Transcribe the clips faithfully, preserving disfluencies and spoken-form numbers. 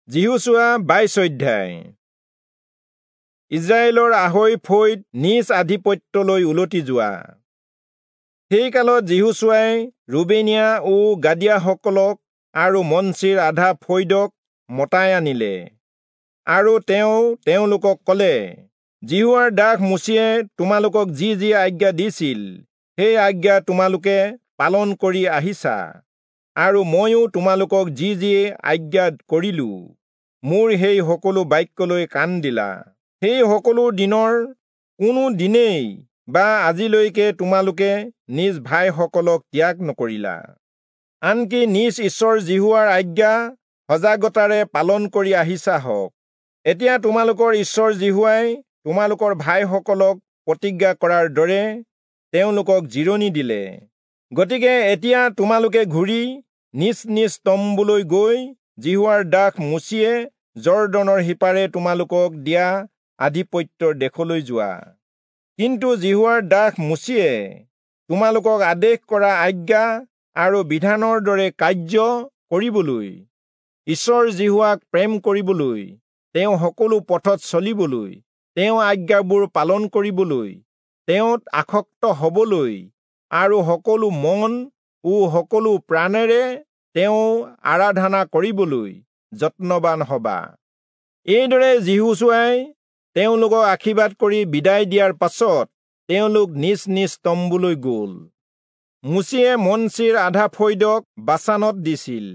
যিহোচূৱা বাইশ অধ্যায়। ইস্ৰায়েলৰ আঢ়ৈ ফৈদ নিজ আধিপত্যলৈ উলটি যোৱা। সেই কালত যিহোচূৱাই ৰুবেনীয়া ও গাদীয়াসকলক আৰু মনচিৰ আধা ফৈদক মতাই আনিলে, আৰু তেওঁ তেওঁলোকক কলে, যিহোৱাৰ দাস মোচিয়ে তোমালোকক যি যি আজ্ঞা দিছিল সেই আজ্ঞা তোমালোকে পালন কৰি আহিছা, আৰু ময়ো তোমালোকক যি যি আজ্ঞা কৰিলো মোৰ সেই সকলো বাক্যলৈ কাণ দিলা। সেই সকলো দিনৰ কোনো দিনেই বা আজিলৈকে তোমালোকে নিজ ভাইসকলক ত্যাগ নকৰিলা, আনকি নিজ ঈশ্বৰ যিহোৱাৰ আজ্ঞা সজাগতাৰে পালন কৰি আহিছা হওক। এতিয়া তোমালোকৰ ঈশ্বৰ যিহোৱাই তোমালোকৰ ভাইসকলক প্ৰতিজ্ঞা কৰাৰ দৰে তেওঁলোকক জিৰণি দিলে। গতিকে এতিয়া তোমালোকে ঘূৰি নিজ নিজ তম্বুলৈ গৈ যিহোৱাৰ দাস মোচিয়ে যৰ্দনৰ সিপাৰে তোমালোকক দিয়া আধিপত্যৰ দেশলৈ যোৱা। কিন্তু যিহোৱাৰ দাস মোচিয়ে তোমালোকক আদেশ কৰা আজ্ঞা আৰু বিধানৰ দৰে কাৰ্য কৰিবলৈ, ঈশ্বৰ যিহোৱাক প্ৰেম কৰিবলৈ, তেওঁ সকলো পথত চলিবলৈ, তেওঁ আজ্ঞাবোৰ পালন কৰিবলৈ, তেওঁত আসক্ত হবলৈ আৰু সকলো মন ও সকলো প্ৰাণেৰে তেওঁ আৰাধনা কৰিবলৈ যত্নবান হবা। এইদৰে যিহোচূৱাই তেওঁলোকক আশীৰ্বাদ কৰি বিদায় দিয়াৰ পাছত তেওঁলোক নিজ নিজ তম্বুলৈ গ'ল। মোচিয়ে মনচিৰ আধা ফৈদক বাচানত দিছিল,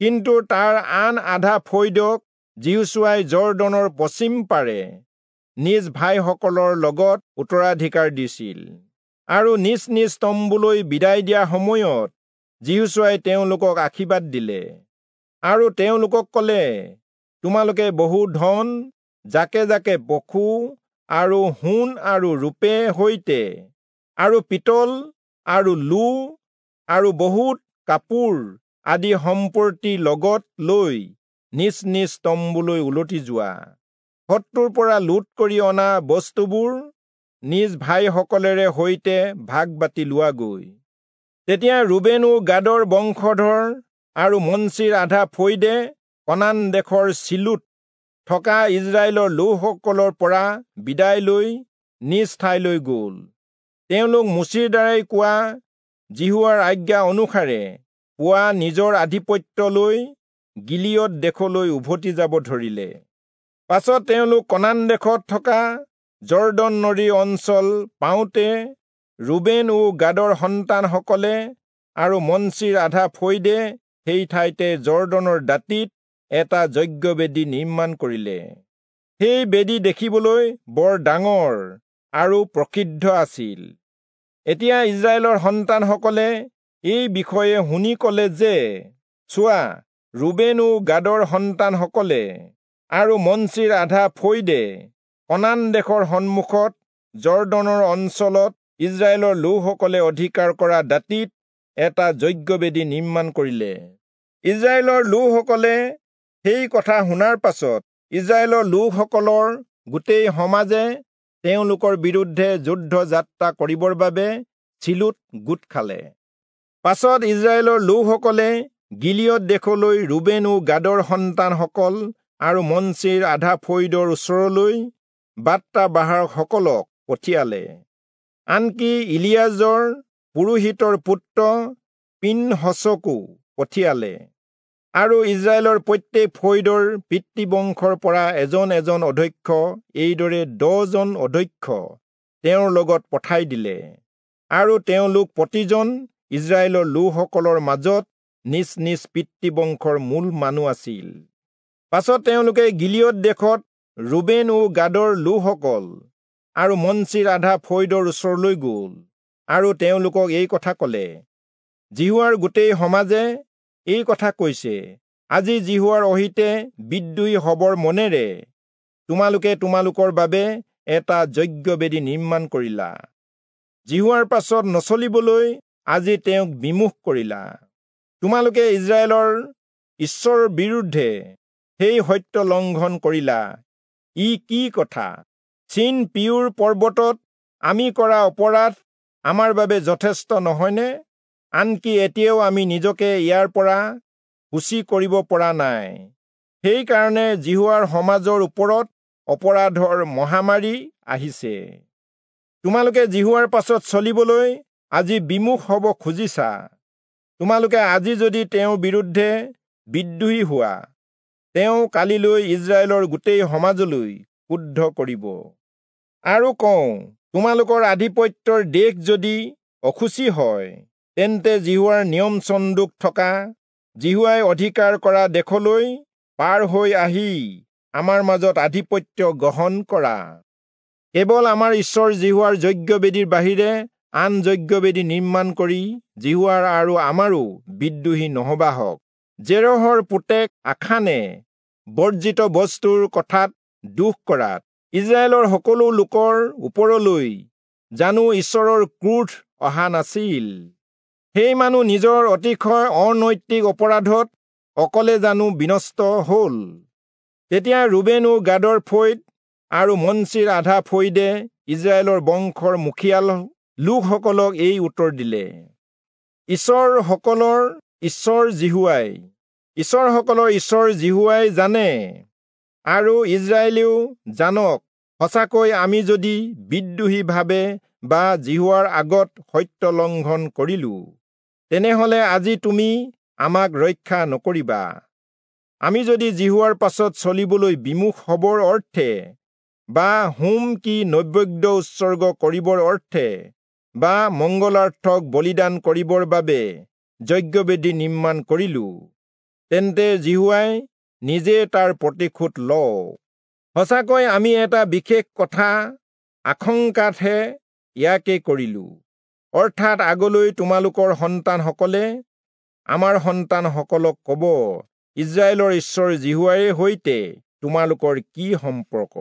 কিন্তু তাৰ আন আধা ফৈদক যিহোচূৱাই যৰ্দনৰ পশ্চিম পাৰে নিজ ভাইসকলৰ লগত উত্তৰাধিকাৰ দিছিল। আৰু নিজ নিজ তম্বুলৈ বিদায় দিয়া সময়ত যিহোচূৱাই তেওঁলোকক আশীৰ্বাদ দিলে আৰু তেওঁলোকক ক'লে, তোমালোকে বহু ধন, জাকে জাকে পশু আৰু সোণ আৰু ৰূপে সৈতে আৰু পিতল আৰু লো আৰু বহুত কাপোৰ আদি সম্পত্তি লগত লৈ নিজ নিজ তম্বুলৈ উলটি যোৱা। শত্ৰুৰ পৰা লুট কৰি অনা বস্তুবোৰ নিজ ভাইসকলেৰে সৈতে ভাগ বাটি লোৱাগৈ। তেতিয়া ৰুবেন ও গাদৰ বংশধৰ আৰু মনচিৰ আধা ফৈদে কনান দেশৰ চিলোত থকা ইস্ৰায়েলৰ লোকসকলৰ পৰা বিদায় লৈ নিজ ঠাইলৈ গ'ল। তেওঁলোক মোচিৰ দ্বাৰাই কোৱা যিহোৱাৰ আজ্ঞা অনুসাৰে পোৱা নিজৰ আধিপত্যলৈ গিলিয়দ দেশলৈ উভতি যাব ধৰিলে। পাছত তেওঁলোক কনান দেশত থকা যৰ্দন নদীৰ অঞ্চল পাওঁতে ৰুবেন ও গাদৰ সন্তানসকলে আৰু মনচিৰ আধা ফৈদে সেই ঠাইতে যৰ্দনৰ দাঁতিত এটা যজ্ঞবেদী নিৰ্মাণ কৰিলে। সেই বেদী দেখিবলৈ বৰ ডাঙৰ আৰু প্ৰসিদ্ধ আছিল। এতিয়া ইস্ৰায়েলৰ সন্তানসকলে এই বিষয়ে শুনি ক'লে যে, চোৱা, ৰুবেন ও গাদৰ সন্তানসকলে আৰু মনচিৰ আধা ফৈদে কনান দেশৰ সন্মুখত যৰ্দনৰ অঞ্চলত ইস্ৰায়েলৰ লোকসকলে অধিকাৰ কৰা দাঁতিত এটা যজ্ঞবেদী নিৰ্মাণ কৰিলে। ইস্ৰায়েলৰ লোকসকলে সেই কথা শুনাৰ পাছত ইস্ৰায়েলৰ লোকসকলৰ গোটেই সমাজে তেওঁলোকৰ বিৰুদ্ধে যুদ্ধ যাত্ৰা কৰিবৰ বাবে চিলোত গোট খালে। পাছত ইস্ৰায়েলৰ লোকসকলে গিলিয়দ দেশলৈ ৰুবেন ও গাদৰ সন্তানসকল আৰু মনচিৰ আধা ফৈদৰ ওচৰলৈ বাৰ্তা বাহকসকলক পঠিয়ালে। আনকি ইলিয়াজৰ পুৰোহিতৰ পুত্ৰ পিনহচকো পঠিয়ালে। আৰু ইস্ৰায়েলৰ প্ৰত্যেক ফৈদৰ পিতৃবংশৰ পৰা এজন এজন অধ্যক্ষ, এইদৰে দহজন অধ্যক্ষ তেওঁৰ লগত পঠাই দিলে। আৰু তেওঁলোক প্ৰতিজন ইস্ৰায়েলৰ লোকসকলৰ মাজত নিজ নিজ পিতৃবংশৰ মূল মানুহ আছিল। পাছত তেওঁলোকে গিলিয়দ দেশত ৰুবেন ও গাদৰ লোকসকল আৰু মনচিৰ আধা ফৈদৰ ওচৰলৈ গ'ল আৰু তেওঁলোকক এই কথা ক'লে, যিহোৱাৰ গোটেই সমাজে এই কথা কৈছে, আজি যিহোৱাৰ অহিতে বিদ্ৰোহী হবৰ মনেৰে তোমালোকে তোমালোকৰ বাবে এটা যজ্ঞবেদী নিৰ্মাণ কৰিলা। যিহোৱাৰ পাছত নচলিবলৈ আজি তেওঁক বিমুখ কৰিলা। তোমালোকে ইস্ৰায়েলৰ ঈশ্বৰৰ বিৰুদ্ধে সেই সত্য লংঘন কৰিলা। ই কি কথা? চীন পিয়ুৰ পৰ্বতত আমি কৰা অপৰাধ আমাৰ বাবে যথেষ্ট নহয়নে? আনকি এতিয়াও আমি নিজকে ইয়াৰ পৰা শুচি কৰিব পৰা নাই। সেইকাৰণে যিহোৱাৰ সমাজৰ ওপৰত অপৰাধৰ মহামাৰী আহিছে। তোমালোকে যিহোৱাৰ পাছত চলিবলৈ আজি বিমুখ হ'ব খুজিছা। তোমালোকে আজি যদি তেওঁৰ বিৰুদ্ধে বিদ্ৰোহী হোৱা, তেওঁ কালিলৈ ইস্ৰায়েলৰ গোটেই সমাজলৈ ক্ৰুদ্ধ কৰিব। আৰু কওঁ, তোমালোকৰ আধিপত্যৰ দেশ যদি অশুচি হয়, তেন্তে যিহোৱাৰ নিয়ম চন্দুক থকা যিহোৱাই অধিকাৰ কৰা দেশলৈ পাৰ হৈ আহি আমাৰ মাজত আধিপত্য গ্ৰহণ কৰা। কেৱল আমাৰ ঈশ্বৰ যিহোৱাৰ যজ্ঞবেদীৰ বাহিৰে আন যজ্ঞবেদী নিৰ্মাণ কৰি যিহোৱাৰ আৰু আমাৰো বিদ্ৰোহী নহবাহক। জেৰহৰ পুতেক আখানে বৰ্জিত বস্তুৰ কথাত দোষ কৰাত ইস্ৰায়েলৰ সকলো লোকৰ ওপৰলৈ জানো ঈশ্বৰৰ ক্ৰোধ অহা নাছিল? সেই মানুহ নিজৰ অতিশয় অনৈতিক অপৰাধত অকলে জানো বিনষ্ট হ'ল? তেতিয়া ৰুবেন ও গাদৰ ফৈদ আৰু মনচিৰ আধা ফৈদে ইস্ৰায়েলৰ বংশৰ মুখিয়াল লোকসকলক এই উত্তৰ দিলে, ঈশ্বৰসকলৰ ঈশ্বৰ যিহোৱাই ঈশ্বৰসকলৰ ঈশ্বৰ যিহোৱাই জানে আৰু ইস্ৰায়েলেও জানক, সঁচাকৈ আমি যদি বিদ্ৰোহীভাৱে বা যিহোৱাৰ আগত সত্য লংঘন কৰিলো, তেনেহলে আজি তুমি আমাক ৰক্ষা নকৰিবা। আমি যদি যিহোৱাৰ পাছত চলিবলৈ বিমুখ হবৰ অৰ্থে বা হোম কি নৈবেদ্য উৎসৰ্গ কৰিবৰ অৰ্থে বা মংগলাৰ্থক বলিদান কৰিবৰ বাবে যজ্ঞবেদী নিৰ্মাণ কৰিলো, তেন্তে যিহোৱাই নিজে তাৰ প্ৰতিশোধ লওক। সঁচাকৈ আমি এটা বিশেষ কথা আশংকাতহে ইয়াকে কৰিলো, অৰ্থাৎ আগলৈ তোমালোকৰ সন্তানসকলে আমাৰ সন্তানসকলক ক'ব, ইস্ৰায়েলৰ ঈশ্বৰ যিহোৱাৰে সৈতে তোমালোকৰ কি সম্পৰ্ক?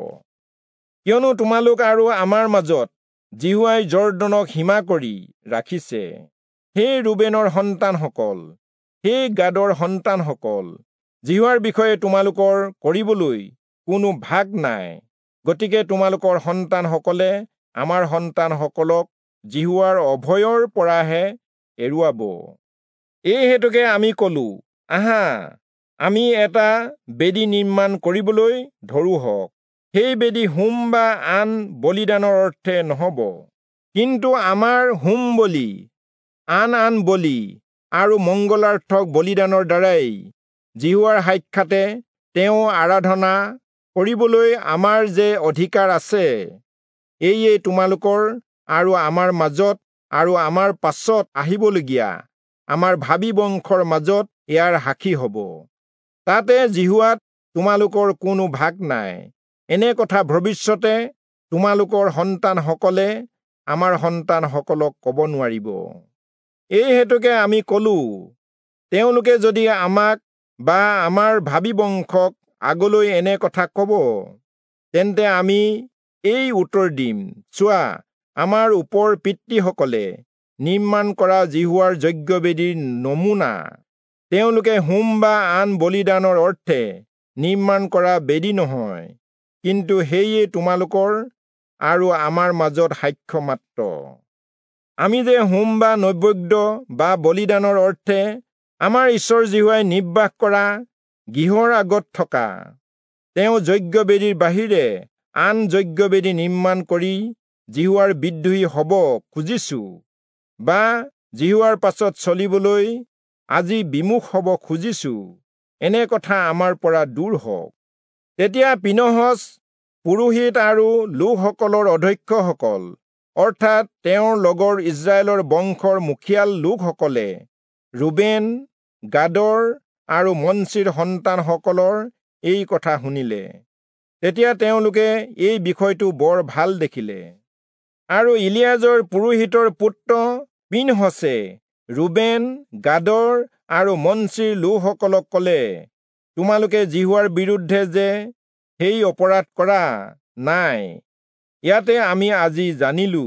কিয়নো তোমালোক আৰু আমাৰ মাজত যিহোৱাই যৰ্দনক সীমা কৰি ৰাখিছে। হে ৰুবেনৰ সন্তানসকল, হে গাদৰ সন্তানসকল, যিহোৱাৰ বিষয়ে তোমালোকৰ কৰিবলৈ কোনো ভাগ নাই। গতিকে তোমালোকৰ সন্তানসকলে আমাৰ সন্তানসকলক যিহোৱাৰ অভয়ৰ পৰাহে এৰুৱাব। এই হেতুকে আমি কলো, আহা, আমি এটা বেদী নিৰ্মাণ কৰিবলৈ ধৰোঁহক। সেই বেদী হোম বা আন বলিদানৰ অৰ্থে নহব, কিন্তু আমাৰ হোম বলি, আন আন বলি আৰু মংগলাৰ্থক বলিদানৰ দ্বাৰাই যিহোৱাৰ সাক্ষাতে তেওঁ আৰাধনা কৰিবলৈ আমাৰ যে অধিকাৰ আছে, এয়ে তোমালোকৰ আৰু আমাৰ মাজত আৰু আমাৰ পাছত আহিবলগীয়া আমাৰ ভাবী বংশৰ মাজত ইয়াৰ সাক্ষী হ'ব। তাতে যিহোৱাত তোমালোকৰ কোনো ভাগ নাই। এনে কথা ভৱিষ্যতে তোমালোকৰ সন্তানসকলে আমাৰ সন্তানসকলক ক'ব নোৱাৰিব। এই হেতুকে আমি কলো, তেওঁলোকে যদি আমাক বা আমাৰ ভাবী বংশক আগলৈ এনে কথা ক'ব, তেন্তে আমি এই উত্তৰ দিম, চোৱা, আমাৰ ওপৰ পিতৃসকলে নিৰ্মাণ কৰা যিহোৱাৰ যজ্ঞবেদীৰ নমুনা তেওঁলোকে হোম বা আন বলিদানৰ অৰ্থে নিৰ্মাণ কৰা বেদী নহয়, কিন্তু সেয়ে তোমালোকৰ আৰু আমাৰ মাজত সাক্ষ্য মাত্ৰ। আমি যে হোম বা নৈবেদ্য বা বলিদানৰ অৰ্থে আমাৰ ঈশ্বৰ যিহোৱাই নিৰ্বাহ কৰা গৃহৰ আগত থকা তেওঁ যজ্ঞবেদীৰ বাহিৰে আন যজ্ঞবেদী নিৰ্মাণ কৰি যিহোৱাৰ বিদ্ৰোহী হ'ব খুজিছো বা যিহোৱাৰ পাছত চলিবলৈ আজি বিমুখ হ'ব খুজিছো, এনে কথা আমাৰ পৰা দূৰ হওক। তেতিয়া পিনহচ পুৰোহিত আৰু লোকসকলৰ অধ্যক্ষসকল, অৰ্থাৎ তেওঁৰ লগৰ ইস্ৰায়েলৰ বংশৰ মুখিয়াল লোকসকলে ৰুবেন, গাদৰ আৰু মনচিৰ সন্তানসকলৰ এই কথা শুনিলে। তেতিয়া তেওঁলোকে এই বিষয়টো বৰ ভাল দেখিলে। আৰু ইলিয়াজৰ পুৰোহিতৰ পুত্ৰ পিনহচে ৰুবেন, গাদৰ আৰু মনচিৰ লোকসকলক ক'লে, তোমালোকে যিহোৱাৰ বিৰুদ্ধে যে সেই অপৰাধ কৰা নাই, ইয়াতে আমি আজি জানিলো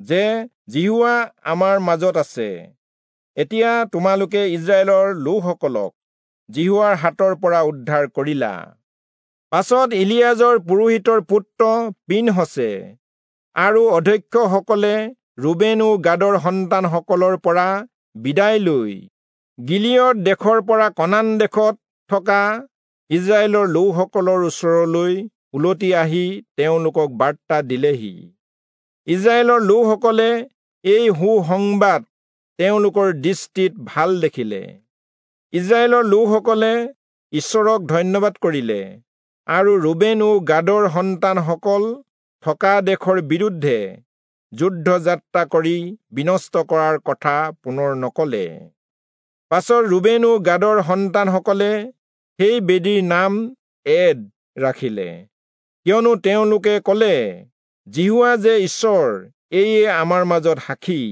যে যিহোৱা আমাৰ মাজত আছে। এতিয়া তোমালোকে ইস্ৰায়েলৰ লোকসকলক যিহোৱাৰ হাতৰ পৰা উদ্ধাৰ কৰিলা। পাছত ইলিয়াজৰ পুৰোহিতৰ পুত্ৰ পিনহচে আৰু অধ্যক্ষসকলে ৰুবেন ও গাদৰ সন্তানসকলৰ পৰা বিদায় লৈ গিলিয়দ দেশৰ পৰা কনান দেশত থকা ইস্ৰায়েলৰ লোকসকলৰ ওচৰলৈ উলটি আহি তেওঁলোকক বাৰ্তা দিলেহি। ইস্ৰায়েলৰ লোকসকলে এই সুসংবাদ তেওঁলোকৰ দৃষ্টিত ভাল দেখিলে। ইস্ৰায়েলৰ লোকসকলে ঈশ্বৰক ধন্যবাদ কৰিলে আৰু ৰুবেন ও গাদৰ সন্তানসকল থকা দেশৰ বিৰুদ্ধে যুদ্ধ যাত্ৰা কৰি বিনষ্ট কৰাৰ কথা পুনৰ নকলে। পাছত ৰুবেন ও গাদৰ সন্তানসকলে সেই বেদীৰ নাম এদ ৰাখিলে, কিয়নো তেওঁলোকে কলে, যিহোৱা যে ঈশ্বৰ, এয়ে আমাৰ মাজত সাক্ষী।